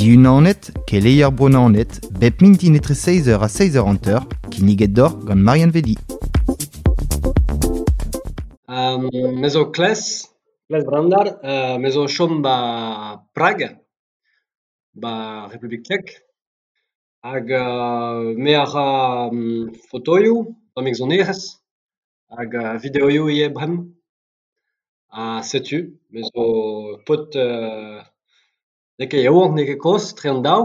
Diunanet, keleier Bro-Naoned, bep mintin etre 6 eur ha 6 eur hanter, kinniget deoc'h gant Marianne Vedi. Me zo Kles, Kles Brandar, me zo o chom 'ba Prag, 'ba Republik Tchek. Hag me a ra fotoioù, tammig sonerezh hag videoioù ivez bremañ. Ha setu, me zo paotr n'eo ket yaouank n'eo ket kozh, etre an daou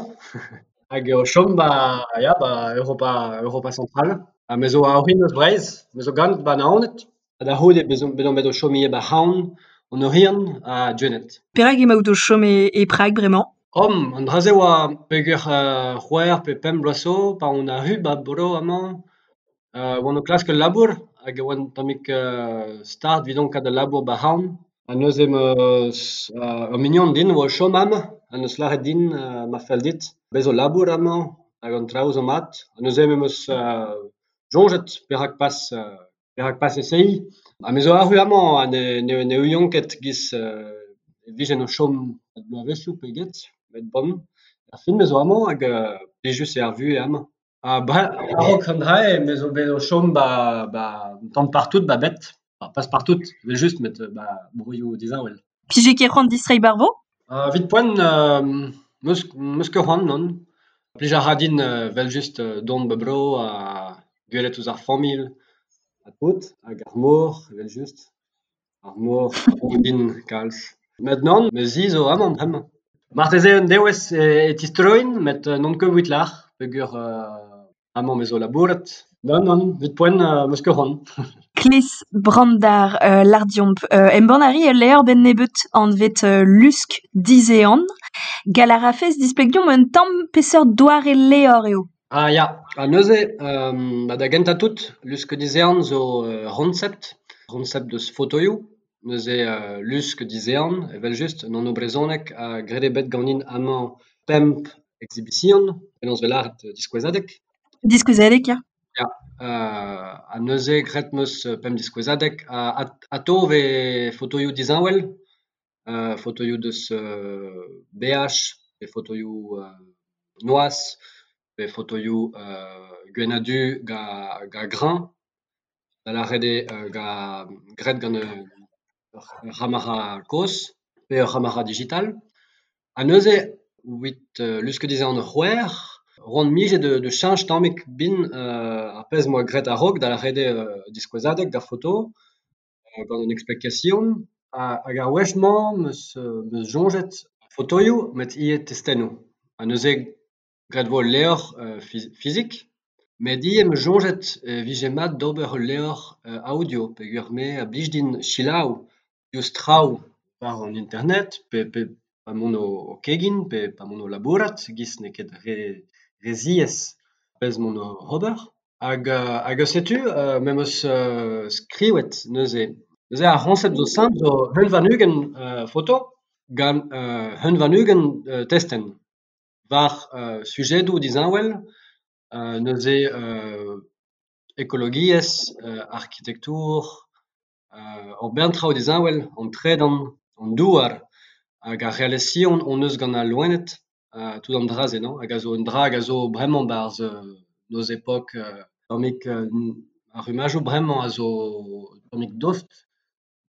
hag o chom 'ba ya 'ba Europa Europa Central. Ha me zo a-orin eus Breizh, me zo ganet 'ba Naoned ha da c'houde bet on bet o chom ivez 'ba C'haon, an Oriant ha Gwened. Perak emaout o chom e Prag bremañ? Oh, an dra-se 'oa peogwir c'hwec'h pe pemp bloaz zo pa on arru 'ba bro amañ oan o klask ul labour hag e oa un tammig start evidon kaout ul labour 'ba C'haon. Ha neuze 'm eus ur mignon din a oa o chom amañ ha 'neus lâret din ma fell dit bez zo labour amañ hag an traoù zo mat. Ha neuze me 'm eus soñjet perak pas perak pas esaeiñ. Ha me zo arru amañ ha ne ouian ket 'giz e vijen o chom bloavezhioù pe get met bon ar fin me zo amañ hag plijus eo ar vuhez amañ. Ha a-raok an dra-se me zo bet o chom 'ba 'ba un tamm partout 'ba bed. Pas partout evel-just met 'ba broioù disheñvel. 'Pije ket c'hoant distreiñ 'bar vro? Evit poent 'meus 'meus ket c'hoant nann. Plij a ra din evel-just dont 'ba bro ha gwelet ouzh ar familh ha tout hag ar mor evel-just. Ar mor a blij din kalz. Met nann, ma zi zo amañ bremañ. Marteze un devezh e tistroin met n'on ket evit lâr peogwir amañ me zo labourat. Nann, nann, evit poent 'meus ket c'hoant. Kles Brandar lâr deomp embann a ri ul levr 'benn nebeut anvet Lusk Dizehan. Gall a rafes displeg deomp un tamm peseurt doare levr eo? Ah ya, ha neuze ba da gentañ tout, Lusk Dizehan zo ur c'honsept, c'honsept deus fotoioù. Neuze Lusk Dizehan evel-just, un anv brezhonek ha graet eo bet ganin amañ pemp exhibition, penaos 'vez lâret diskouezadeg. Diskouezadeg, ya. Ya, ha neuze graet 'm eus pemp diskouezadeg ha atav 'vez fotoioù disheñvel, fotoioù deus beaj pe fotoioù noazh pe fotoioù gwenn-ha-du gant grañ, da lâret eo graet gant ur c'hamera kozh pe ur c'hamera digital. Ha neuze evit Lusk Dizehan c'hwec'h c'hoant 'mije da cheñch tammig bin ar pezh 'm boa graet a-raok da lâret eo diskouezadeg d'ar foto gant un explication hag ar wech-mañ 'm eus soñjet fotoioù met ivez testennoù. Ha neuze graet e vo ul levr fizik met ivez 'm eus soñjet e vije mat d'ober ul levr audio peogwir me a blij din selaou diouzh traoù war an internet pe pa emaon o kegin pe pa emaon o labourat e-giz n'eo ket re ziaes pezh emaon oc'h ober. Hag setu me 'm eus skrivet neuze. Neuze ar c'hoñsept zo simpl zo un warn-ugent foto gant un warn-ugent testenn war sujedoù disheñvel neuze ekologiezh, arkitektour, ur bern traoù disheñvel, an tredan, an douar hag ar relasion hon eus gant al loened tout an dra-se non hag a zo un dra hag a zo bremañ 'barzh nos epok tammig ar rummadoù bremañ a zo tammig dost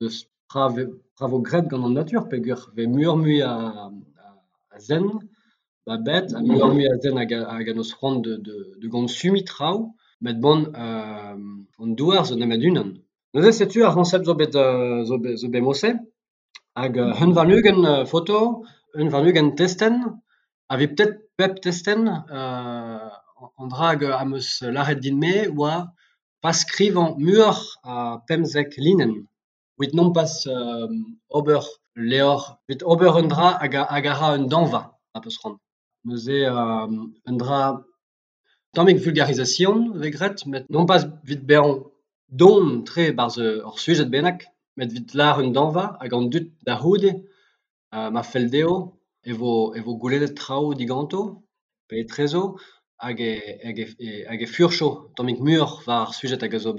deus tra vo graet gant an natur peogwir 'vez muioc'h-mui a zen 'ba bed ha muioc'h-mui a zen hag a 'neus c'hoant da gonsumiñ traoù met bon an douar zo nemet unan. Neuze setu ar c'hoñsept zo bet zo bet mod-se hag un warn-ugent foto, un warn-ugent testenn ha 'vit pep testenn an dra hag am eus lâret din-me 'oa pas skrivañ muioc'h a pemzek linenn evit nompas ober ul levr, evit ober un dra hag a ra un dañva ma 'peus c'hoant. Neuze un dra tammig vulgarisation 'vez graet met nompas evit bezañ don-tre 'barzh ur sujed bennak met evit lâr un dañva hag an dud da c'houde ma fell dezho e vo goulennet traoù diganto pe etrezo hag e furcho tammig muioc'h war ar sujed hag a zo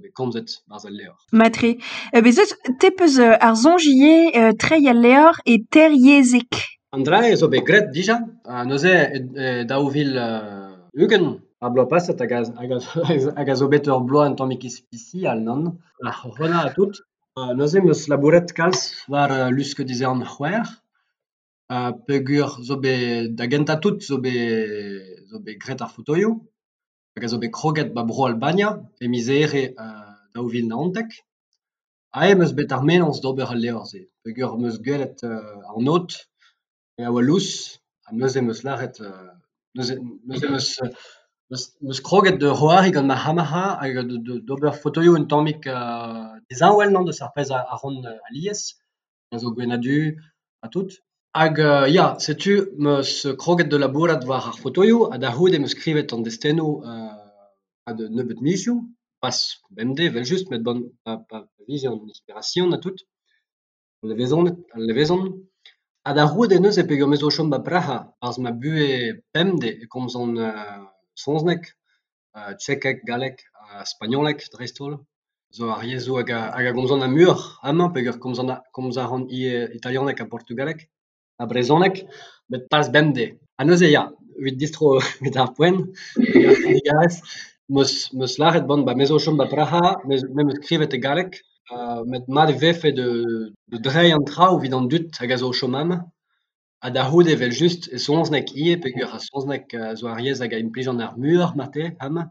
bet komzet 'barzh al levr. Mat-tre. Bez' eus te 'peus ar soñj ivez treiñ al levr e teir yezhig. An dra-se zo bet graet dija, ha neuze e 2020, ar bloaz paset hag a zo bet ur bloaz un tammig ispisial, nann? Ar c'horona ha tout. Neuze 'm eus labouret kalz war Lusk Dizehan 6 peogwir zo bet da gentañ-tout zo bet graet ar fotoioù hag a zo bet kroget 'ba Bro-Albania e miz Here 2019. Aze 'm eus bet ar mennozh d'ober al levr-se peogwir 'm eus gwelet an aod a oa lous ha neuze 'm eus lâret neuze 'm eus kroget da c'hoari gant ma c'hamera hag d'ober fotoioù un tammig disheñvel deus ar pezh a ran alies, a zo gwenn-ha-du ha tout. Hag ya, setu 'm eus kroget da labourat war ar fotoioù ha da c'houde 'm eus skrivet an destennoù e-pad un nebeud mizioù, pas bemdez evel-just met bon pa vije an inspirasion ha tout, al levezon. Ha da c'houde neuze peogwir me zo o chom 'ba Praha, 'barzh ma buhez pemdez e komzan saozneg, tchekeg, galleg ha spagnoleg dreist-holl zo ar yezhoù hag a gomzan ar muioc'h amañ peogwir komz a ran ivez italianeg ha portugaleg ha brezhoneg met pas bemdez. Ha neuze ya, evit distro evit ar poent, digarez, 'm eus lâret bon me zo o chom 'ba Praha, me 'm eus skrivet e galleg met mat e vefe da dreiñ an traoù evit an dud hag a zo o chom amañ ha da c'houde evel-just e saozneg ivez peogwir ar saozneg zo ar yezh hag a implijan ar muioc'h marteze amañ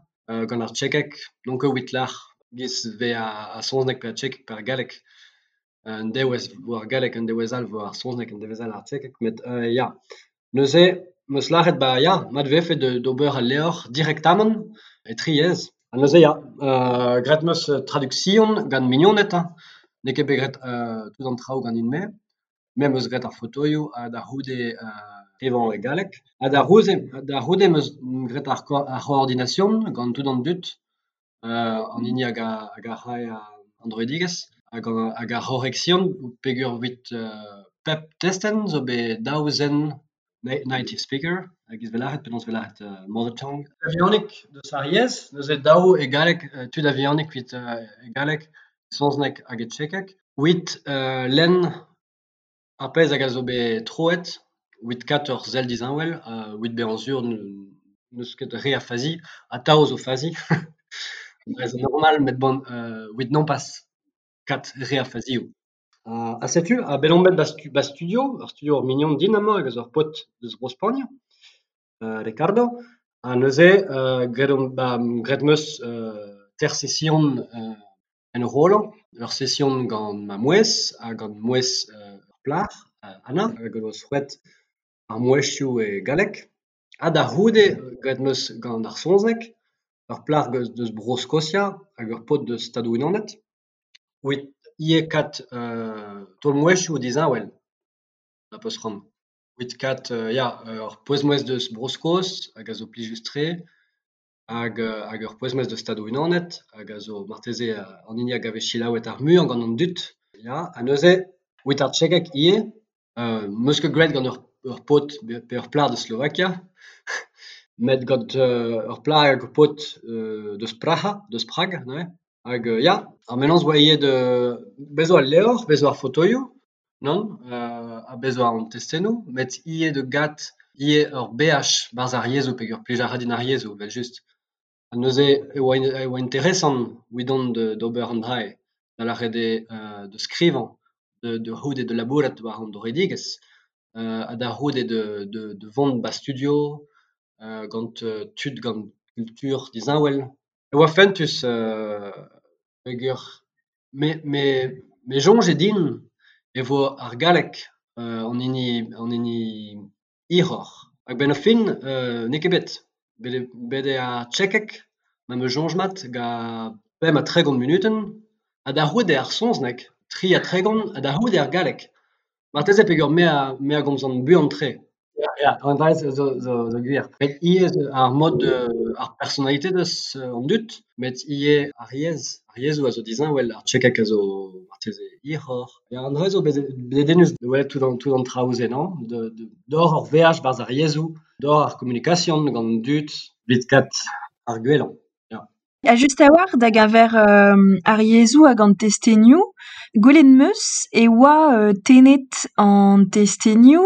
gant ar tchekeg n'on ket evit lâr 'giz 'vez ar saozneg pe ar tchekeg pe ar galleg. Un devezh 'vo ar galleg, un devezh all 'vo ar saozneg, un devezh all ar tchekeg met ya. Neuze 'm eus lâret ba ya, mat e vefe d'ober al levr direktamant e tri yezh. Ha neuze ya, graet 'm eus traduction gant mignoned hañ, n'eo ket bet graet tout an traoù ganin-me. Me 'm eus graet ar fotoioù ha da c'houde skrivañ e galleg. Ha da c'houde 'm eus graet ar c'hoordination gant tout an dud, an hini hag a rae an droidigezh hag ar c'horeksion peogwir evit pep testenn zo bet daou zen native speaker e-giz 'vez lâret, penaos 'vez lâret mother tongue. A-vihanik deus ar yezh, neuze daou e galleg, tud a-vihanik evit e galleg, saozneg hag e tchekeg. Evit lenn ar pezh hag a zo bet troet, evit kaout ur sell disheñvel, evit bezañ sur n'eus ket re a fazi, atav zo fazi dre zo normal met bon evit nompas kaout re a fazioù. Ha setu, ha bet on bet 'ba studio, ur studio ur mignon din amañ hag a zo ur paotr deus Bro-Spagn, Ricardo. Ha neuze graet on graet 'm eus teir sesion enrollañ, ur sesion gant ma mouezh ha gant mouezh ur plac'h, Anna, hag o deus c'hwezhet ar mouezhioù e galleg. Ha da c'houde graet 'm eus gant ar saozneg, ur plac'h deus Bro-Skosia hag ur paotr deus Stadoù-Unanet. Evit ivez kaout taol-mouezhioù disheñvel ma 'peus c'hoant. Evit kaout ya, ur pouez-mouezh deus Bro-Skos hag a zo plijus-tre hag ur pouez-mouezh deus Stadoù-Unanet hag a zo marteze an hini hag a vez selaouet ar muiañ gant an dud. Ya, ha neuze evit ar tchekeg ivez, 'm eus ket graet gant ur paotr pe ur plac'h deus Slovakia met gant ur plac'h hag ur paotr deus Praha, deus Prag neuze. Hag ya, ar mennozh 'oa ivez da bez 'zo al levr, bez 'zo ar fotoioù, nann, ha bez 'zo an testennoù, met ivez da gat ivez ur veaj 'barzh ar yezhoù peogwir plij a ra din ar yezhoù evel-just. Ha neuze e oa interesant evidon d'ober an dra-se, da lâret eo da skrivañ, da c'houde da labourat war an droidigezh, ha da c'houde da vont 'ba studio gant tud gant kultur disheñvel. E oa fentus peogwir me 'soñje din e vo ar galleg an hini hiroc'h. Hag 'benn ar fin n'eo ket bet. Bet eo ar tchekeg, ma 'm eus soñj mat, gant 35 munutenn ha da c'houde ar saozneg, 33 ha da c'houde ar galleg. Marteze peogwir me a gomzan buan-tre. Ya, ya, an dra-se zo gwir. Met ivez ar mod ar personalite deus an dud, met ivez ar yezh. Ar yezhoù a zo disheñvel, ar tchekeg a zo marteze hiroc'h. Ya, an dra-se zo dedennus da welet tout an traoù-se, non? D'ober ur veaj 'barzh ar yezhoù, d'ober ar komunikasion gant an dud evit kaout ar gwellañ, ya. Ha just a-walc'h da geñver ar yezhoù hag an testenioù, gwelet 'm eus e oa tennet an testenioù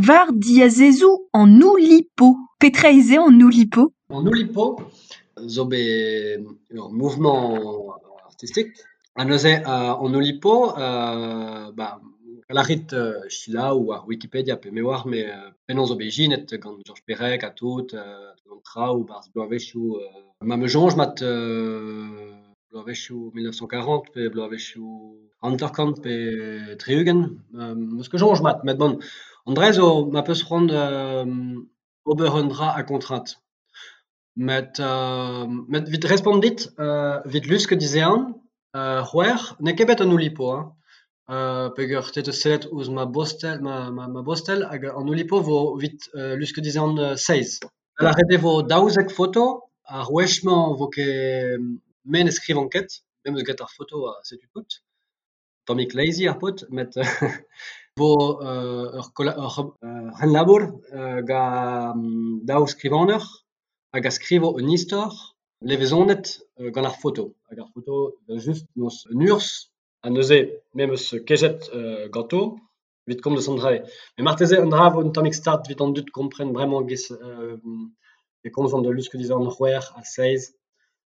war diazezoù an Oulipo. Petra eo se an Oulipo ? An Oulipo zo bet ur mouvement artistek ha neuze an Oulipo lârit selaou war Wikipedia pe me 'oar me penaos zo bet ijinet gant Georges Perec ha tout an traoù 'barzh bloavezhioù ma 'm eus soñj mat bloavezhioù 1940 pe bloavezhioù 50 pe 60 'm eus ket soñj mat met bon an dra-se zo ma 'peus c'hoant ober un dra a-gontrad. Met evit respont dit evit Lusk Dizehan c'hwec'h n'eo ket bet an Oulipo hein peogwir te 'teus sellet ouzh ma bostel ma bostel hag an Oulipo vo evit Lusk Dizehan seizh. Da lâret eo e vo 12 foto, ar wech-mañ 'vo ket me ne skrivan ket, me 'm eus graet ar foto ha setu tout. Tammig lazy ar paotr met vo ur c'henlabour gant daou skrivagner hag a skrivo un istor levezonet gant ar foto. Hag ar foto evel-just 'neus un urzh ha neuze me 'm eus kejet ganto evit komz eus an dra-se. Met marteze an dra a vo un tammig start evit an dud kompren bremañ e-giz e komzan da Lusk Dizehan c'hwec'h ha seizh.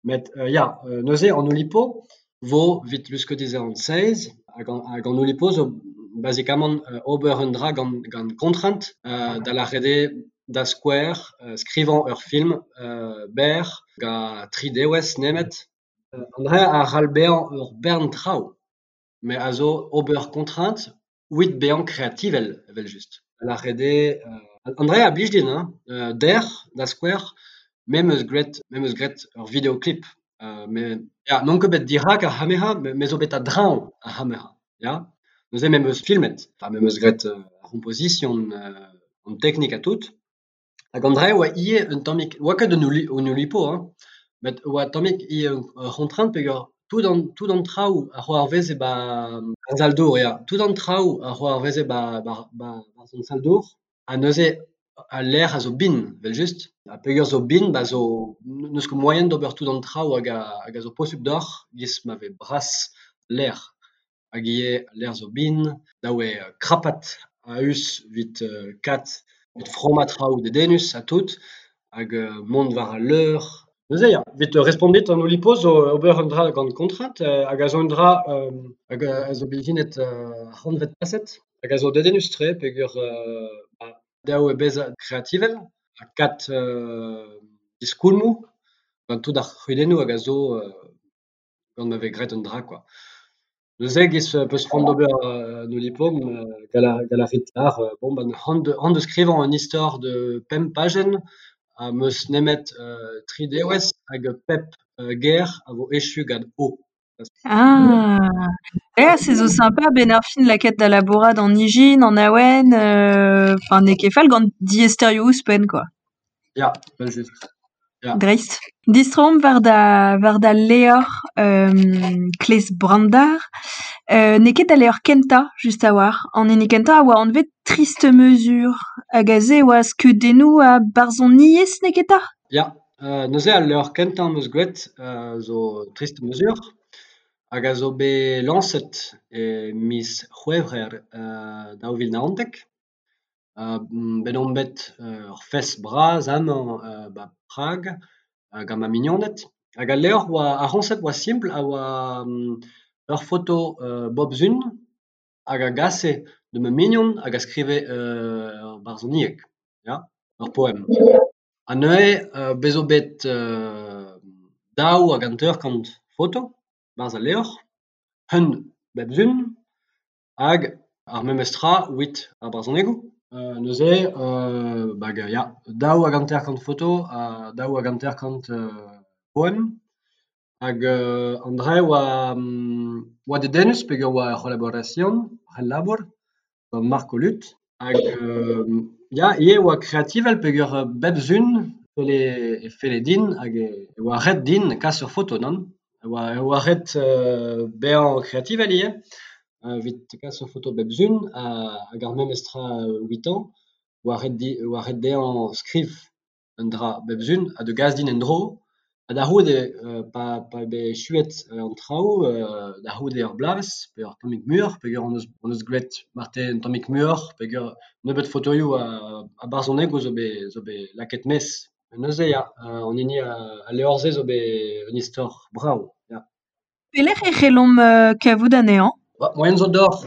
Met ya, neuze an Oulipo vo evit Lusk Dizehan seizh hag an Oulipo zo bazikamant ober un dra gant kontrent da lâret eo da skouer skrivañ ur film berr gant tri devezh nemet. An dra a c'hall bezañ ur bern traoù met a zo ober kontrent evit bezañ kreativel evel-just. Da lâret eo an dra a blij din hein, dec'h da skouer me 'm eus graet me 'm eus graet ur videoklip ya n'on ket bet dirak ar c'hamera met me zo bet a-dreñv ar c'hamera ya. Neuze me 'm eus filmet ha me 'm eus graet ar c'hompozision an teknik ha tout. Hag an dra-se oa ivez un tammig 'oa ket un Oulipo hein met oa un tammig ivez ur c'hontrent peogwir tout an traoù a c'hoarveze 'ba ar sal-dour ya, tout an traoù a c'hoarveze 'ba 'barzh an sal-dour ha neuze al lec'h a zo bihan evel-just ha peogwir zo bihan ba zo n'eus ket moaien d'ober tout an traoù hag a zo posupl deoc'h e-giz ma vez bras lec'h. Hag ivez al lec'h zo bihan, dav eo krapat a-us evit kat evit frammañ traoù dedennus ha tout hag mont war al leur. Neuze ya, evit respont dit an Oulipo zo ober un dra gant kontrent hag a zo un dra hag a zo bet ijinet ar c'hantved paset hag a zo dedennus-tre peogwir dav eo bezañ kreativel ha kat diskoulmoù gant tout ar c'hudennoù hag a zo gant ma vez graet un dra kwa. Neuze e-giz 'peus c'hoant d'ober un Oulipo gall a rit lâr bon ben c'hoant da skrivañ un istor de pemp pajenn ha 'm eus nemet tri devezh hag pep ger a vo echu gant o. Ah, ya se zo sympa 'benn ar fin lakaat da labourat an ijin, an awen, enfin n'eo ket fall gant diaesterioù ouzhpenn kwa. Ya, evel-just. Ya. Dreist. Distroomp war da war da levr Klez Brandar. N'eo ket da levr kentañ just a-walc'h. An hini kentañ a oa anvet Triste Mesure. Hag aze e oa skeudennoù ha barzhoniezh, n'eo ket 'ta ? Ya, neuze al levr kentañ am eus graet zo Triste Mesure hag a zo bet lañset e miz C'hwevrer 2019. Bet on bet ur fest bras amañ 'ba Prag gant ma mignoned. Hag al levr oa ar c'hoñsept oa simpl a oa ur foto bep sizhun hag a gase da ma mignon hag a skrive ur barzhonieg, ya, ur poem. Ha neuze bez zo bet 52 foto 'barzh al levr, un bep sizhun hag ar memes tra evit ar barzhonegoù. Neuze hag ya, 52 foto ha 52 poem. Hag an dra-se oa dedennus peogwir oa ur c'hollaborasion, ul labour gant Marc Oluth. Hag ya, ivez oa kreativel peogwir bep sizhun e felle din hag e oa ret din kas ur foto, nann ? E oa ret bezañ kreativel ivez evit kas ur foto bep sizhun hag ar memes tra evitañ oa ret dezhañ skriv un dra bep sizhun ha da gas din en-dro. Ha da c'houde pa pa eo bet echuet an traoù da c'houde ur bloavezh pe ur tammig muioc'h peogwir hon eus graet marteze un tammig muioc'h peogwir nebeut fotoioù ha barzhonegoù zo bet lakaet maez. Neuze ya, an hini al levr-se zo bet un istor brav, ya. Pelec'h e c'hellomp kavout anezhañ ? Moaien zo deoc'h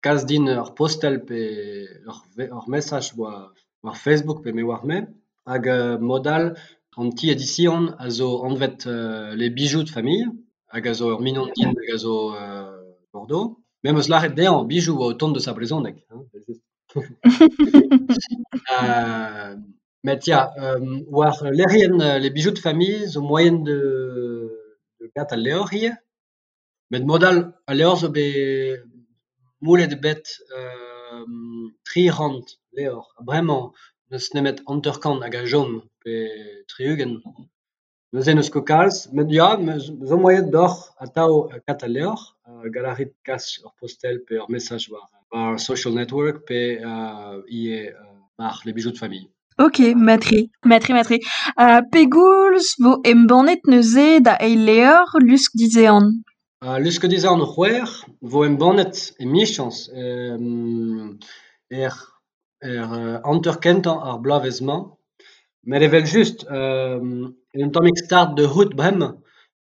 kas din ur postel pe ur mesaj war Facebook pe me 'oar-me hag mod all an ti edision a zo anvet Les Bijoux de famille hag a zo ur mignon din hag a zo Bordeaux. Me 'm eus lâret dezhañ Bijoux oa o tont eus ar brezhoneg evel-just. Met ya, war lec'hienn Les Bijoux de famille zo moaien da gat al levr ivez. Met mod all al levr zo bet moullet eo bet 300 levr ha bremañ n'eus nemet 50 hag a chom pe 60. Neuze n'eus ket kalz met ya zo moaien deoc'h atav kaout al levr. Gallout a rit kas ur postel pe ur mesaj war social network pe ivez war Les Bijoux de famille. Ok, mat-tre, mat-tre, mat-tre. Ha pegoulz 'vo embannet neuze da eil levr Lusk Dizehan ? Lusk Dizehan c'hwec'h 'vo embannet emichañs er hanter-kentañ ar bloavezh-mañ. Met evel-just un tammig start da c'hoût bremañ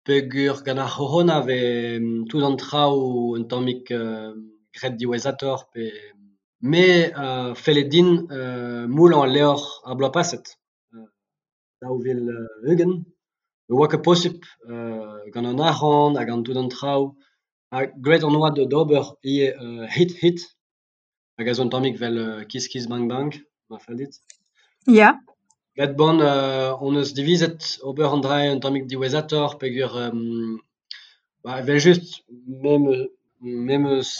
peogwir gant ar c'horona 'vez tout an traoù un tammig graet diwezhatoc'h pe me a felle din moullañ al levr ar bloaz paset 2020 ne oa ket posupl gant an arc'hant ha gant tout an traoù ha graet hon oa d'ober ivez hit-hit hag a zo un tammig 'vel Kiss Kiss Bang Bang ma fell dit. Ya. Met bon hon eus divizet ober an dra-se un tammig diwezhatoc'h peogwir evel-just me 'm eus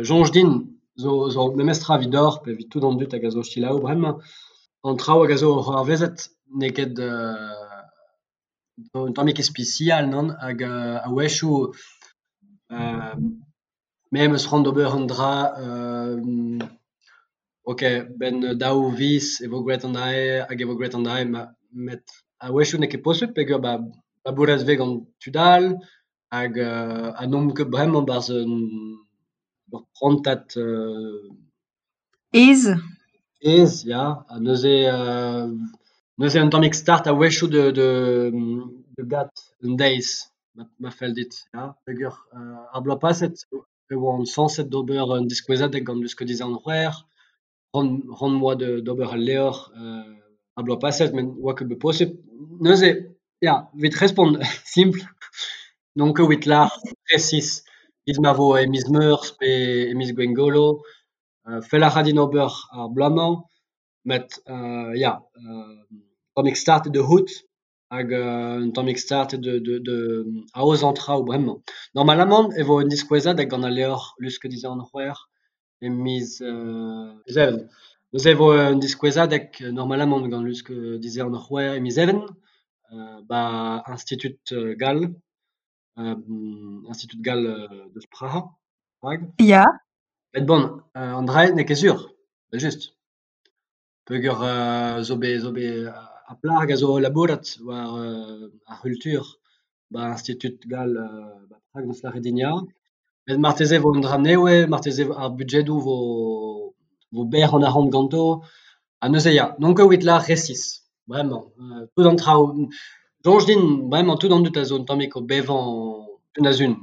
soñj din zo memes tra evidoc'h pe evit tout an dud hag a zo o selaou bremañ. An traoù hag a zo c'hoarvezet n'eo ket un tammig ispisial nann hag a-wechoù me 'm eus c'hoant d'ober un dra ok 'benn daou viz e vo graet an dra-se hag e vo graet an dra-se met a-wechoù n'eo ket posupl peogwir labouret e vez gant tud all hag ha n'omp ket bremañ 'barzh ur prantad Aes. Aes, ya ha neuze neuze un tammig start a-wechoù da gat un deiz ma fell dit, ya peogwir ar bloaz paset e oan sañset d'ober un diskouezadeg gant Lusk Dizehan c'hwec'h, c'hoant 'm boa d'ober al levr ar bloaz paset met ne oa ket bet posupl. Neuze ya, evit respont simpl n'on ket evit lâr resis evit ma vo e miz Meurzh pe e miz Gwengolo. Fellout a ra din ober ar bloaz-mañ met ya un tammig start eo da c'hoût hag un tammig start eo da aozañ traoù bremañ. Normalamant e vo un diskouezadeg gant al levr Lusk Dizehan c'hwec'h e miz Even. Neuze e vo un diskouezadeg normalamant gant Lusk Dizehan c'hwec'h e miz Even 'ba Institut Gall Institut Gall deus Praha, Prag. Ya. Met bon, an dra-se n'eo ket sur, evel-just. Peogwir zo bet zo bet ar plac'h hag a zo o labourat war ar c'hultur 'ba Institut Gall 'ba Prag 'neus lâret din ya. Met marteze e vo un dra nevez, marteze ar budjedoù 'vo berr an arc'hant ganto ha neuze ya, n'on ket evit lâr resis bremañ. Tout an traoù, soñj din bremañ tout an dud a zo un tammig o bevañ un-ha-zun.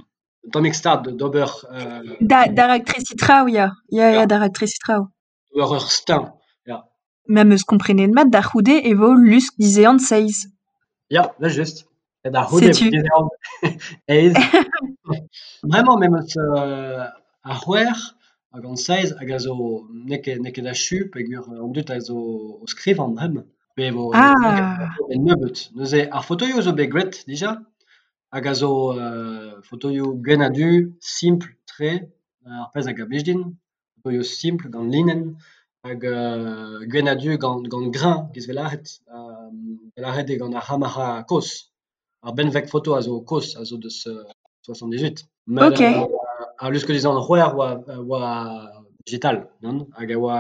Un tammig start d'ober Da raktresiñ traoù ya, ya ya da raktresiñ traoù. D'ober ur steuñv, ya. Ma 'm eus komprenet mat da c'houde e vo Lusk Dizehan seizh. Ya, evel-just. Da c'houde Setu. Dizehan eizh. Bremañ me 'm eus ar c'hwec'h hag an seizh hag a zo n'eo ket achu peogwir an dud a zo o skrivañ bremañ. Pe e vo nebeut. Neuze ar fotoioù zo bet graet dija hag a zo fotoioù gwenn ha du, simpl-tre, ar pezh hag a blij din. Fotoioù simpl gant linenn hag gwenn ha du gant greñv 'giz 'vez lâret. Da lâret eo gant ar c'hamera kozh. Ar benveg foto a zo kozh, a zo deus 78. Met Ok. Ar Lusk Dizehan c'hwec'h oa digital, nann? Hag a oa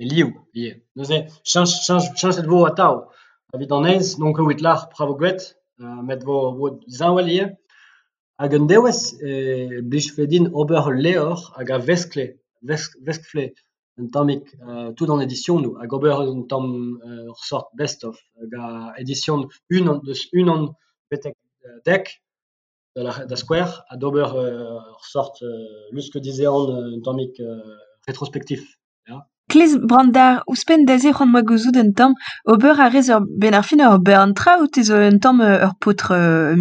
e liv ivez. Neuze cheñchet 'vo atav. Evit an aez n'on ket evit lâr petra 'vo graet met 'vo 'vo disheñvel ivez. Hag un devezh e blijfe din ober ul levr hag a veskle veskfe un tammig tout an edisionoù hag ober un tamm ur seurt best of hag a edision unan deus unan betek dek da skouer ha d'ober ur seurt lusk dizehan un tammig retrospektiv ya. Klez Brandar, ouzhpenn da se c'hoant 'm boa gouzout un tamm, ober a rez ur 'benn ar fin ur bern traoù, te zo un tamm ur paotr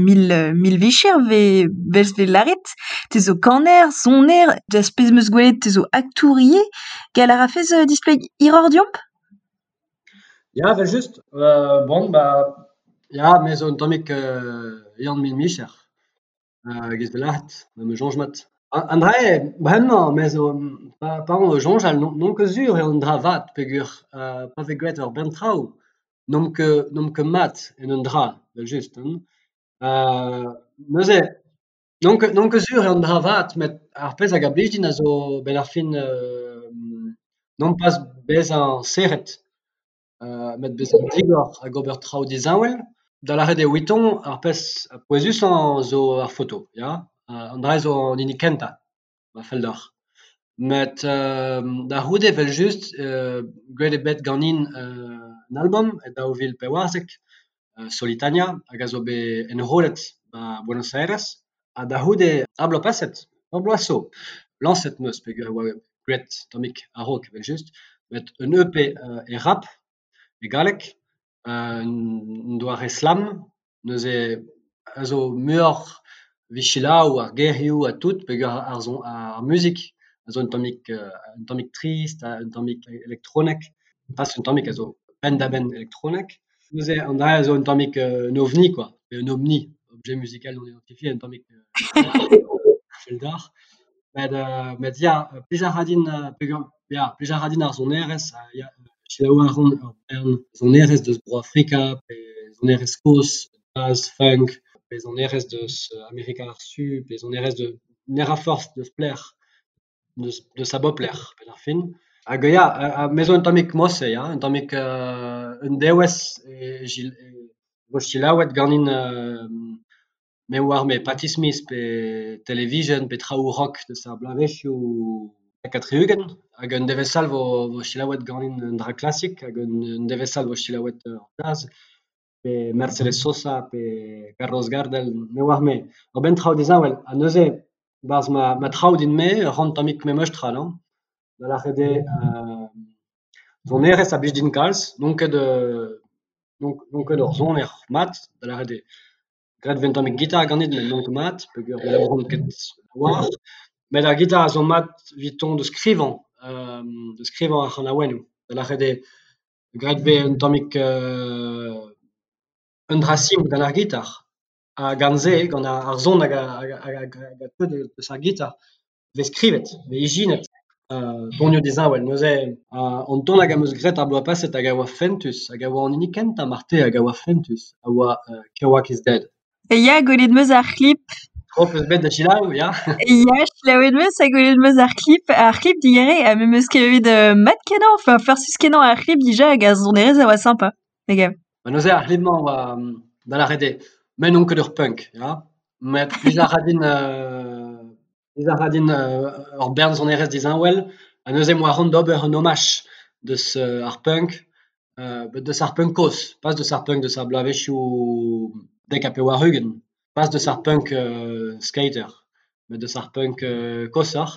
mil mil vicher 'vez 'vez lâret. Te zo kaner, soner, deus pezh 'm eus gwelet te zo aktour ivez. Gallout a rafes displeg hiroc'h deomp ? Ya evel-just bon ba ya me zo un tammig Yann mil micher e-giz 'vez lâret ma 'm eus soñj mat. An dra-se bremañ me zo pa on o soñjal n'on ket sur eo un dra vat peogwir pa vez graet ur bern traoù n'omp ket n'omp ket mat en un dra evel-just hein. Neuze n'on ket n'on ket sur eo un dra vat met ar pezh hag a blij din a zo 'benn ar fin nompas bezañ serret met bezañ digor hag ober traoù disheñvel. Da lâret eo eviton ar pezh pouezusañ zo ar foto ya, an dra-se zo an hini kentañ ma fell deoc'h. Met da c'houde evel-just graet eo bet ganin un albom e 2014 Solitania hag a zo bet enrollet 'ba Buenos Aires ha da c'houde ar bloaz paset, ur bloaz zo, lañset 'm eus peogwir e oa graet tammig a-raok evel-just met un EP e rap e galleg un doare slam neuze a zo muioc'h evit selaou ar gerioù ha tout peogwir ar son ar muzik a zo un tammig un tammig trist ha un tammig elektronek, pas un tammig, a zo penn-da-benn elektronek. Neuze an dra-se a zo un tammig un ovni kwa, pe un omni, objet musical non identifié, un tammig fell deoc'h. Met met ya, plij a ra din peogwir ya plij a ra din ar sonerezh ha ya selaou a ran ur bern sonerezh deus Bro-Afrika pe sonerezh kozh, jazz, funk, pe sonerezh deus Amerika ar Su pe sonerezh deus ne ra forzh deus pelec'h, deus a bep lec'h 'benn ar fin. Hag ya, me zo un tammig mod-se ya, un tammig un devezh e vo selaouet ganin me 'oar-me Patti Smith pe Television pe traoù rock deus ar bloavezhioù 70 hag un devezh all 'vo selaouet ganin un dra klasik hag un devezh all 'vo selaouet jazz pe Mercedes Sosa pe Carlos Gardel, me 'oar-me. Ur bern traoù disheñvel ha neuze 'barzh ma traoù din-me e ran tammig memes tra non ? Da lâret eo sonerezh a blij din kalz, n'on ket n'on ket ur soner mat, da lâret eo graet e vez un tammig gitar ganin met n'on ket mat peogwir ne labouran ket a-walc'h met ar gitar a zo mat eviton da skrivañ da skrivañ ar c'hanaouennoù da lâret eo graet e vez un tammig un dra simpl gant ar gitar ha gant se, gant ar son hag a teu deus ar gitar e vez skrivet, e vez ijinet tonioù disheñvel. Neuze an ton hag am eus graet ar bloaz paset hag a oa fentus hag a oa an hini kentañ marteze hag a oa fentus a oa Kerouac is dead. Ya, gwelet 'm eus ar c'hlip. Tro 'peus bet da selaou, ya ? Ya, selaouet 'm eus ha gwelet 'm eus ar klip, ar c'hlip digeriñ ha me 'm eus kavet mat-kenañ, enfin farsus-kenañ ar c'hlip dija hag ar sonerezh a oa sympa, me gav. Ma neuze ar c'hlip-mañ a oa da lâret eo me n'on ket ur punk, ya, met plij a ra din plij a ra din ur bern sonerezh disheñvel ha neuze 'm boa c'hoant d'ober un homaj deus ar punk deus ar punk kozh, pas deus ar punk deus ar bloavezhioù 90, pas deus ar punk skater, met deus ar punk koshoc'h.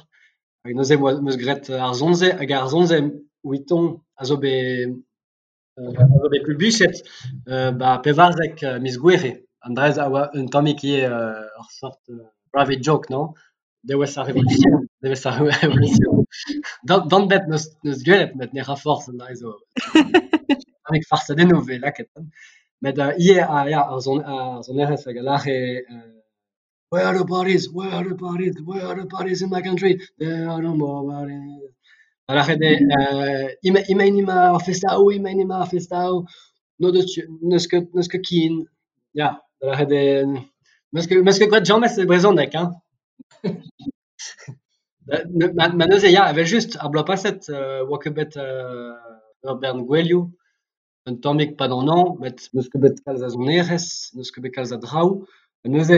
Hag neuze 'm eus graet ar son-se hag ar son-se eviton a zo bet a zo bet publiet 'ba 14 miz Gouere. An dra-se a oa un tammig ivez ur seurt private joke non ? Devezh ar revolution, devezh ar revolution. Dorn ebet n'eus gwelet met ne ra forzh an dra-se zo tammig farsadennoù 'vez lakaet met ivez ya ar sonerezh hag a lâre Where are the parties, where are the parties, where are the parties in my country, there are no more parties. Da lâret eo emaint emañ ar festaoù, emaint emañ ar festaoù, n'o deus n'eus ket n'eus ket ken. Ya, da lâret eo 'meus ket graet james e brezhoneg hein. Ma neuze ya evel-just ar bloaz paset 'oa ket bet ur bern gouelioù. Un tammig 'pad an hañv met n'eus ket bet kalz a sonerezh, n'eus ket bet kalz a draoù ha neuze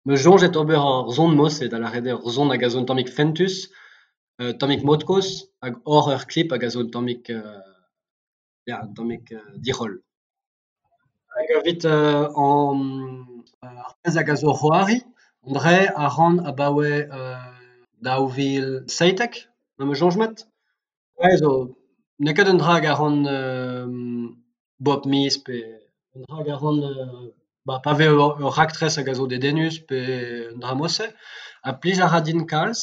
'm eus soñjet ober ur son mod-se, da lâret eo ur son hag a zo un tammig fentus, un tammig mod-kozh hag ober ur klip hag a zo un tammig ya un tammig diroll. Hag evit an ar pezh hag a zo c'hoari, an dra-se a ran abaoe 2017 ma 'm eus soñj mat. Se zo n'eo ket un dra hag a ran bep miz pe un dra hag a ran pa vez ur raktres hag a zo dedennus pe un dra mod-se ha plij a ra din kalz,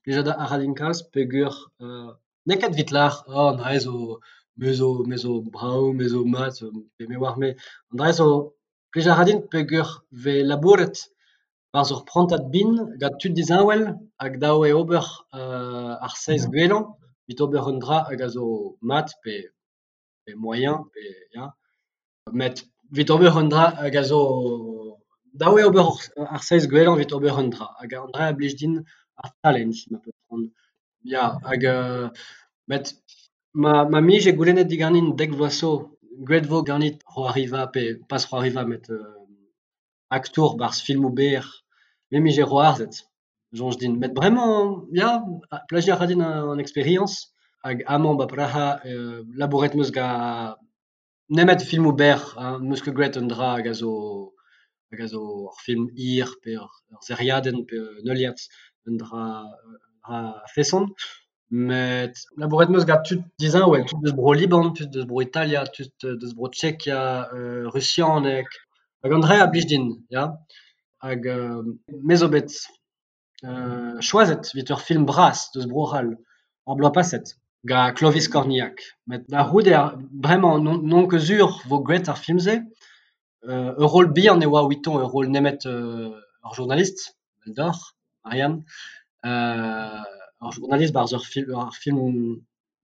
plijout a ra din kalz peogwir n'eo ket evit lâret oh an dra-se zo me zo me zo brav, me zo mat pe me 'oar-me. An dra-se zo plij a ra din peogwir 'vez labouret 'barzh ur prantad bihan gant tud disheñvel hag dav eo ober ar seizh gwellañ evit ober un dra hag a zo mat pe moaien pe ya. Met evit ober un dra hag a zo dav eo ober ar seizh gwellañ evit ober un dra hag an dra a blij din ar challenge ma 'peus c'hoant. Ya hag met ma 'mije goulennet diganin dek vloaz zo graet 'vo ganit c'hoariva pe pas c'hoariva met aktour 'barzh filmoù berr me 'mije c'hoarzhet soñj din met bremañ ya plijout a ra din an eksperiañs hag amañ 'ba Praha labouret 'm eus gant nemet filmoù berr hein 'm eus ket graet un dra hag a zo hag a zo ur film hir pe ur seriadenn pe un heuliad un dra a-feson met labouret 'm eus gant tud disheñvel, tud eus Bro-Liban, tud eus Bro-Italia, tud eus Bro-Tchekia, rusianeg hag an dra-se a blij din ya. Hag me zo bet choazet evit ur film bras eus Bro-C'hall ar bloaz paset gant Clovis Cornillac met da c'houde bremañ n'on ket sur 'vo graet ar film-se. Ur roll bihan e oa evitañ ur roll nemet ur journalist eveldoc'h Marianne ur journalist 'barzh ur film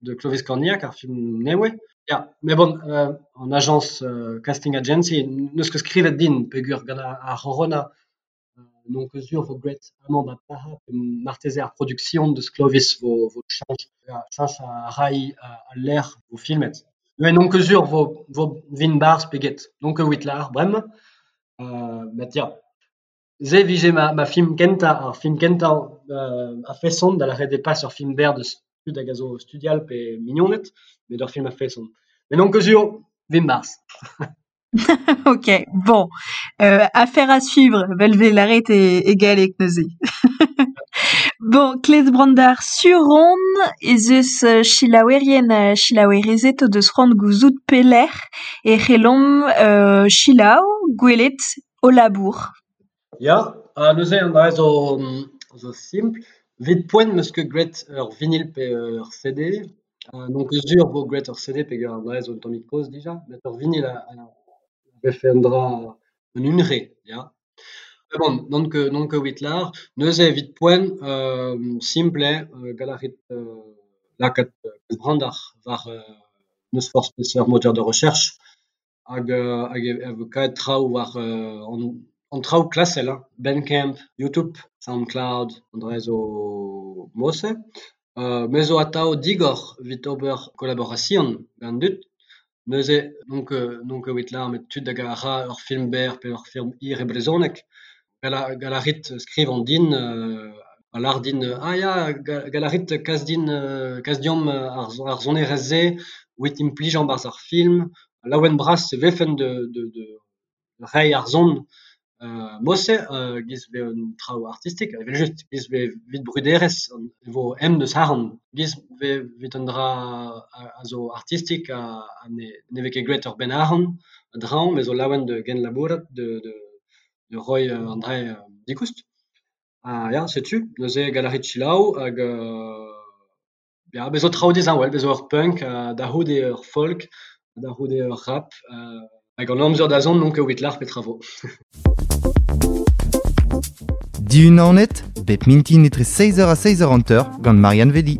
de Clovis Cornillac, ar film nevez. Ya, met bon an ajañs casting agency n'eus ket skrivet din peogwir gant ar c'horona n'on ket sur 'vo graet amañ 'ba Praha marteze ar produksion deus Clovis 'vo cheñch cheñch a ray al lec'h 'vo filmet. Met n'on ket sur 'vo 'vin 'barzh pe get, n'on ket evit lâret bremañ met ya. Se 'vije ma film kentañ, ar film kentañ a-feson da lâret eo pas ur film berr deus tud hag a zo o studial pe mignoned met ur film a-feson. Met n'on ket sur 'vin 'barzh. Ok, bon, affaire à suivre, 'vel 'vez lâret e galleg neuze. Bon, Klez Brandar, sur on ez eus selaouerien ha selaouerezed o deus c'hoant gouzout pelec'h e c'hellomp selaou, gwelet ho labour. Ya, ha neuze an dra zo zo simpl. Evit poent 'm eus ket graet ur vinil pe ur CD. N'on ket sur 'vo graet ur CD peogwir an dra zo un tammig kozh dija met ur vinil a vefe un dra un hunvre ya. Met bon n'on ket n'on ket evit lâr. Neuze evit poent simpl eo gall a rit lakaat Brandar war n'eus forzh peseurt moteur de recherche hag hag e vo kavet traoù war an traoù klasel hein, Bandcamp, YouTube, SoundCloud, an dra zo mod-se. Me zo atav digor evit ober kolaborasion gant an dud. Neuze n'on ket evit lâret met tud hag a ra ur film berr pe ur film hir e brezhoneg gall a rit skrivañ din ha lâret din ah ya gall a rit kas din kas deomp ar sonerezh-se evit implijañ 'barzh ar film. Laouen-bras e vefen da reiñ ar son mod-se e-giz 'vez un traoù artistek evel-just e-giz 'vez evit bruderezh e vo ezhomm deus arc'hant e-giz 'vez evit un dra a zo artistek ha ne vez ket graet ur benn arc'hant a-dreñv me zo laouen da genlabourat da reiñ an dra digoust. Ha ya setu neuze gall a rit selaou hag ya bez zo traoù disheñvel, bez zo ur punk da c'houde ur folk, da c'houde ur rap hag an amzer da zont n'on ket evit lâret petra 'vo. Diunanet, bep mintin etre 6h ha 6h50 gant Marianne Vedi.